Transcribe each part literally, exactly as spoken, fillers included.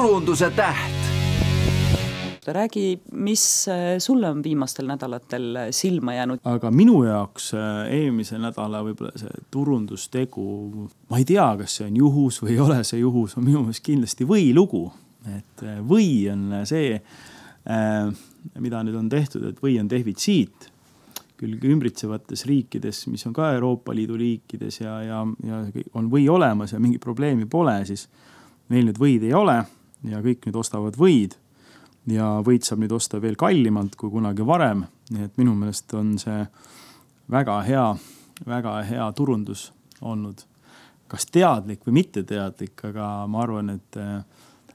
turunduse täht. Räägi, mis sulle on viimastel nädalatel silma jäänud? Aga minu jaoks eelmise nädala võib-olla see turundustegu, ma ei tea, kas see on juhus või ei ole see juhus, on minu meelest kindlasti võilugu. Et või on see, mida nüüd on tehtud, et või on defitsiit küll ümbritsevates riikides, mis on ka Euroopa Liidu riikides ja, ja, ja on või olemas ja mingi probleemi pole, siis meil nüüd võid ei ole ja kõik nüüd ostavad võid ja võid saab nüüd osta veel kallimalt kui kunagi varem. Nii et minu meelest on see väga hea, väga hea turundus olnud. Kas teadlik või mitte teadlik, aga ma arvan, et,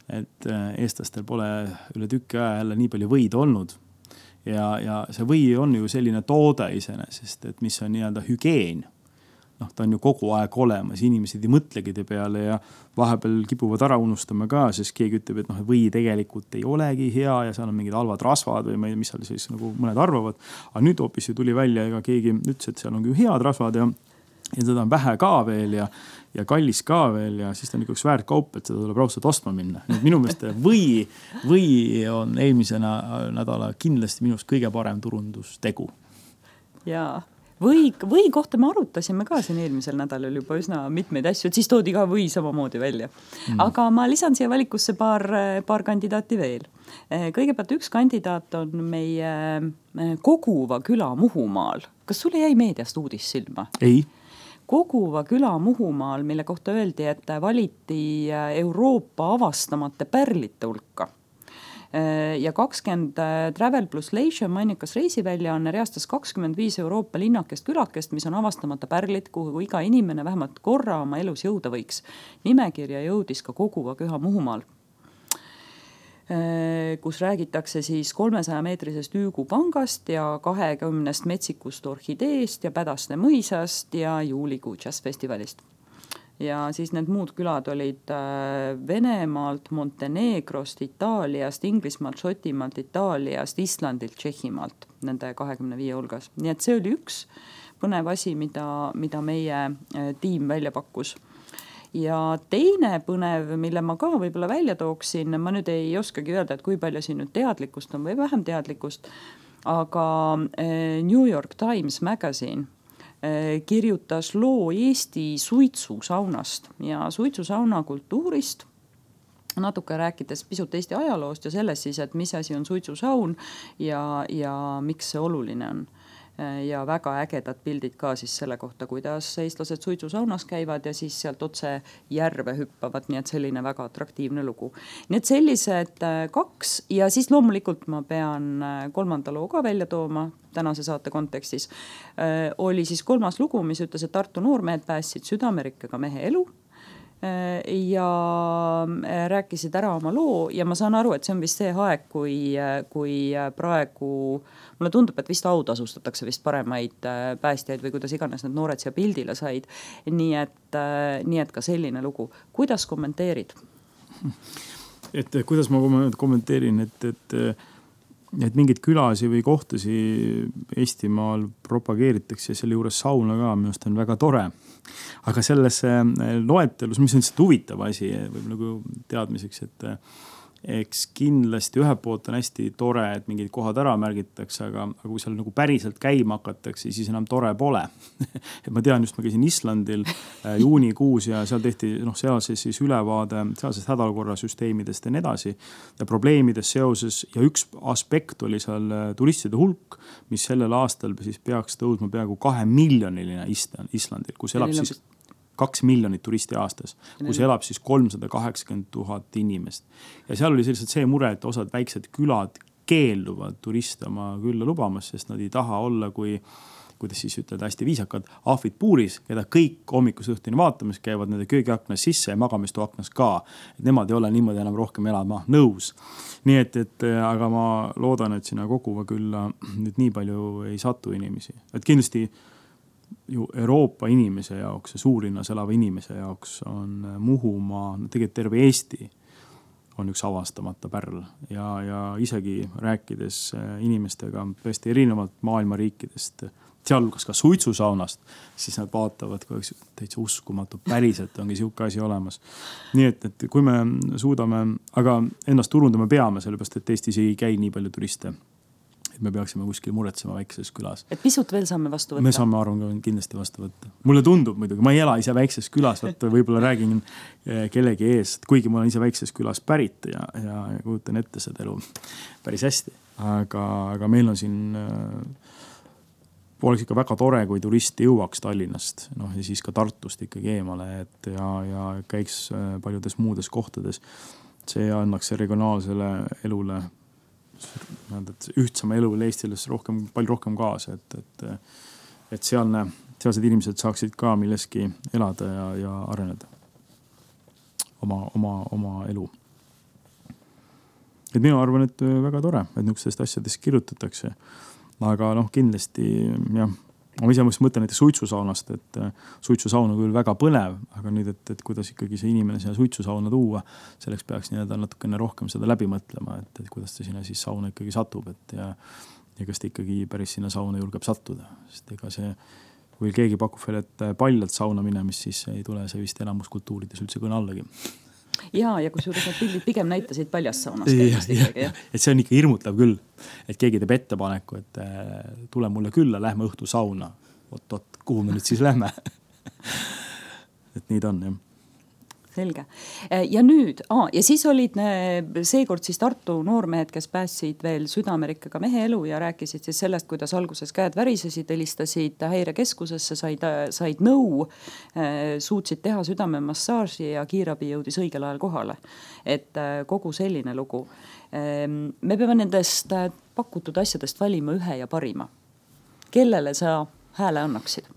et eestlastel pole üle tükki aja jälle nii palju võid olnud. Ja, ja see või on ju selline toode iseenesest, et mis on nii-öelda hügieen. noh, ta on ju kogu aeg olemas, inimesed ei mõtlegi te peale ja vahepeal kipuvad ära unustama ka, sest keegi ütleb, et noh, või tegelikult ei olegi hea ja seal on mingid halvad rasvad või ma ei, mis seal siis nagu mõned arvavad. Aga nüüd hoopis ju tuli välja, ega keegi ütles, et seal on küll head rasvad ja, ja seda on vähe ka veel ja, ja kallis ka veel ja siis ta on üks väärt kaup, et seda tuleb raudselt ostma minna. Nüüd minu meelest või, või on eelmise nädala kindlasti minust kõige parem turundustegu. Jaa. Või, või kohta me arutasime ka siin eelmisel nädalal juba üsna mitmeid asju, et siis toodi ka või samamoodi välja. Mm. Aga ma lisan siia valikusse paar, paar kandidaati veel. Kõigepealt üks kandidaat on meie Koguva küla Muhumaal. Kas sulle jäi meediast uudis silma? Ei. Koguva küla Muhumaal, mille kohta öeldi, et valiti Euroopa avastamata pärlite hulka. Ja kakskümmend Travel plus Leisure mainikas reisiväljaanne reastas kakskümmend viis Euroopa linnakest külakest, mis on avastamata pärlid, kuhu iga inimene vähemalt korra oma elus jõuda võiks. Nimekirja jõudis ka Koguva küla Muhumaal, kus räägitakse siis kolmesaja meetrisest Üügupangast ja kahekümnest metsikust orhideest ja Pädaste mõisast ja juulikuu jazzfestivalist. Ja siis need muud külad olid Venemaalt, Montenegrost, Itaaliast, Inglismaalt, Šotimaalt, Itaaliast, Islandilt, Tšehhimaalt, nende kahekümne viie hulgas. Nii et see oli üks põnev asi, mida, mida meie tiim välja pakkus. Ja teine põnev, mille ma ka võib-olla välja tooksin, ma nüüd ei oskagi öelda, et kui palju siin nüüd teadlikkust on või vähem teadlikkust, aga New York Times Magazine kirjutas loo Eesti suitsusaunast ja suitsusauna kultuurist, natuke rääkides pisut Eesti ajaloost ja sellest siis, et mis asi on suitsusaun ja, ja miks see oluline on. Ja väga ägedad pildid ka siis selle kohta, kuidas eestlased suitsusaunas käivad ja siis sealt otse järve hüppavad, nii et selline väga atraktiivne lugu. Nii et sellised kaks ja siis loomulikult ma pean kolmanda loo ka välja tooma tänase saate kontekstis. Oli siis kolmas lugu, mis ütles, et Tartu noormehed päästsid südamerikkega mehe elu ja rääkisid ära oma loo ja ma saan aru, et see on vist see aeg, kui, kui praegu mulle tundub, et vist autasustatakse vist paremaid päästjaid või kuidas iganes need noored siia pildile said. Nii et, nii et ka selline lugu. Kuidas kommenteerid? Et kuidas ma kommenteerin, et, et, et mingid külasi või kohtasi Eestimaal propageeritakse ja selle juures sauna ka, minust on väga tore. Aga selles loetelus, mis on lihtsalt huvitav asi, võib nagu teadmiseks, et eks kindlasti ühelt poolt on hästi tore, et mingid kohad ära märgitakse, aga, aga kui seal nagu päriselt käima hakatakse, siis enam tore pole. Et ma tean, just ma käisin Islandil juunikuus ja seal tehti noh, sealses siis ülevaade sealsest hädaolukorrasüsteemidest ja nii edasi ja probleemidest seoses ja üks aspekt oli seal turistide hulk, mis sellel aastal siis peaks tõusma peaaegu kahe miljoniline Islandil, kus elab siis kaks miljonit turisti aastas, kus elab siis kolmsada kaheksakümmend tuhat inimest. Ja seal oli selliselt see mure, et osad väiksed külad keelduvad turiste oma külla lubamas, sest nad ei taha olla, kui, kuidas siis ütelda hästi viisakad, ahvid puuris, keda kõik hommikus õhtuni vaatamas käivad nende köögiaknas sisse ja magamistu aknas ka. Et nemad ei ole niimoodi enam rohkem elama nõus. Nii et, et aga ma loodan, et sinna Koguva külla nüüd nii palju ei satu inimesi. Et kindlasti ju Euroopa inimese jaoks ja suurlinnas elava inimese jaoks on Muhumaa, tegelikult terve Eesti on üks avastamata pärl ja, ja isegi rääkides inimestega tõesti erinevalt maailma riikidest sealhulgas ka suitsusaunast, siis nad vaatavad, kui täitsa uskumatu, päriselt ongi sihuke asi olemas. Nii et, et kui me suudame, aga ennast turundama peame, sellepärast, et Eestis ei käi nii palju turiste. Et me peaksime kuskil muretsema väikses külas. Et pisut veel saame vastu võtta? Me saame arvan kindlasti vastu võtta. Mulle tundub muidugi, ma ei ela ise väikses külas, vaata võib-olla räägin kellegi ees, kuigi ma olen ise väikses külas pärit ja, ja, ja kujutan ette seda elu päris hästi. Aga, aga meil on siin oleks ikka väga tore, kui turisti jõuaks Tallinnast, noh ja siis ka Tartust ikkagi eemale, et ja, ja käiks paljudes muudes kohtades. See annaks regionaalsele elule, ühtsama elule Eestiles rohkem, palju rohkem kaasa, et, et, et sealne, sealsed inimesed saaksid ka milleski elada ja, ja areneda oma, oma, oma elu. Et minu arvan, et väga tore, et niisugustest asjadest kirjutatakse. Aga noh, kindlasti, jah, ma ise mõtlen näiteks suitsusaunast, et suitsusaun on küll väga põnev, aga nüüd, et, et kuidas ikkagi see inimene sinna suitsusauna tuua, selleks peaks nii-öelda natukene rohkem seda läbi mõtlema, et, et kuidas ta sinna siis sauna ikkagi satub, et ja, ja kas ta ikkagi päris sinna sauna julgeb sattuda, sest ega see, kui keegi pakub veel, et paljalt sauna minemist, siis ei tule see vist elamuskultuurides üldse kõne allagi. Ja, ja kui suures need pildid pigem näitasid paljast saunast. Ja, ja, ja, et see on ikka hirmutav küll, et keegi teeb ettepaneku, et tule mulle külla, lähme õhtu sauna. Oot, oot, kuhu me nüüd siis lähme? Et nii ta on, jah. Selge. Ja nüüd, aa, ja siis olid seekord siis Tartu noormehed, kes päästsid veel Südamerikaga mehe elu ja rääkisid siis sellest, kuidas alguses käed värisesid, helistasid häirekeskusesse, said, said nõu, suutsid teha südamemassaaži ja kiirabi jõudis õigel ajal kohale. Et kogu selline lugu. Me peame nendest pakutud asjadest valima ühe ja parima. Kellele sa hääle annaksid?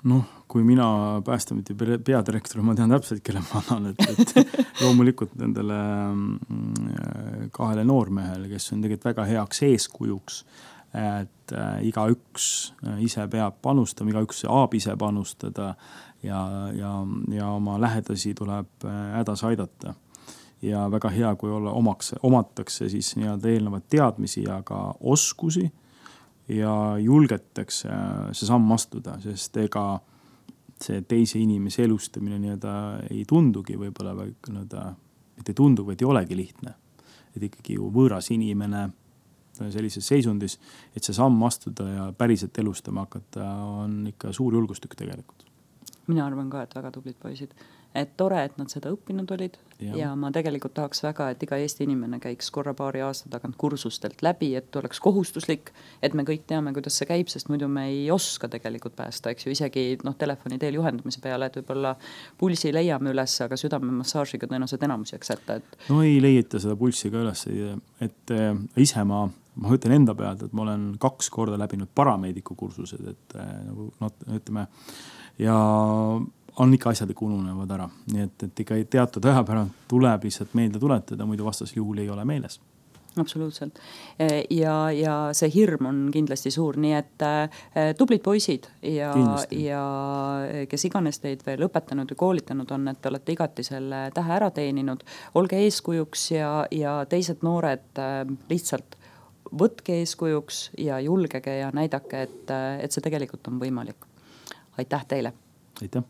Noh, kui mina Päästeameti peadirektor, ma tean täpselt, kelle ma annan, et, et loomulikult nendele kahele noormehele, kes on tegelikult väga heaks eeskujuks, et iga üks ise peab panustama, iga üks saab ise panustada ja, ja, ja oma lähedasi tuleb hädas aidata. Ja väga hea, kui olla omaks, omatakse siis nii-öelda eelnevad teadmisi ja ka oskusi ja julgetakse see samm astuda, sest ega see teise inimese elustamine nii-öelda ei tundugi võib-olla, et ei tundu, vaid ei olegi lihtne. Et ikkagi ju võõras inimene sellises seisundis, et see samm astuda ja päriselt elustama hakata on ikka suur julgustük tegelikult. Mina arvan ka, et väga tublid poisid. Et tore, et nad seda õppinud olid ja, ja ma tegelikult tahaks väga, et iga Eesti inimene käiks korra paari aasta tagant kursustelt läbi, et oleks kohustuslik, et me kõik teame, kuidas see käib, sest muidu me ei oska tegelikult päästa, eks ju, isegi noh, telefoni teel juhendamise peale, et võib-olla pulsi leiame üles, aga südamemassaažiga tõenäoliselt enamus jääks ette. Et... No ei leieta seda pulsi ka üles, et ise ma, ma ütlen enda pealt, et ma olen kaks korda läbinud parameediku kursused, et nagu no, ütleme, ja on ikka asjad ikka ununevad ära. Nii et, et ikka teatud aja päralt tuleb lihtsalt meelde tuletada, muidu vastasel juhul ei ole meeles. Absoluutselt. Ja, ja see hirm on kindlasti suur, nii et tublid poisid ja, ja kes iganes teid veel õpetanud ja koolitanud on, et olete igati selle tähe ära teeninud. Olge eeskujuks ja, ja teised noored lihtsalt võtke eeskujuks ja julgege ja näidake, et, et see tegelikult on võimalik. Aitäh teile! Aitäh!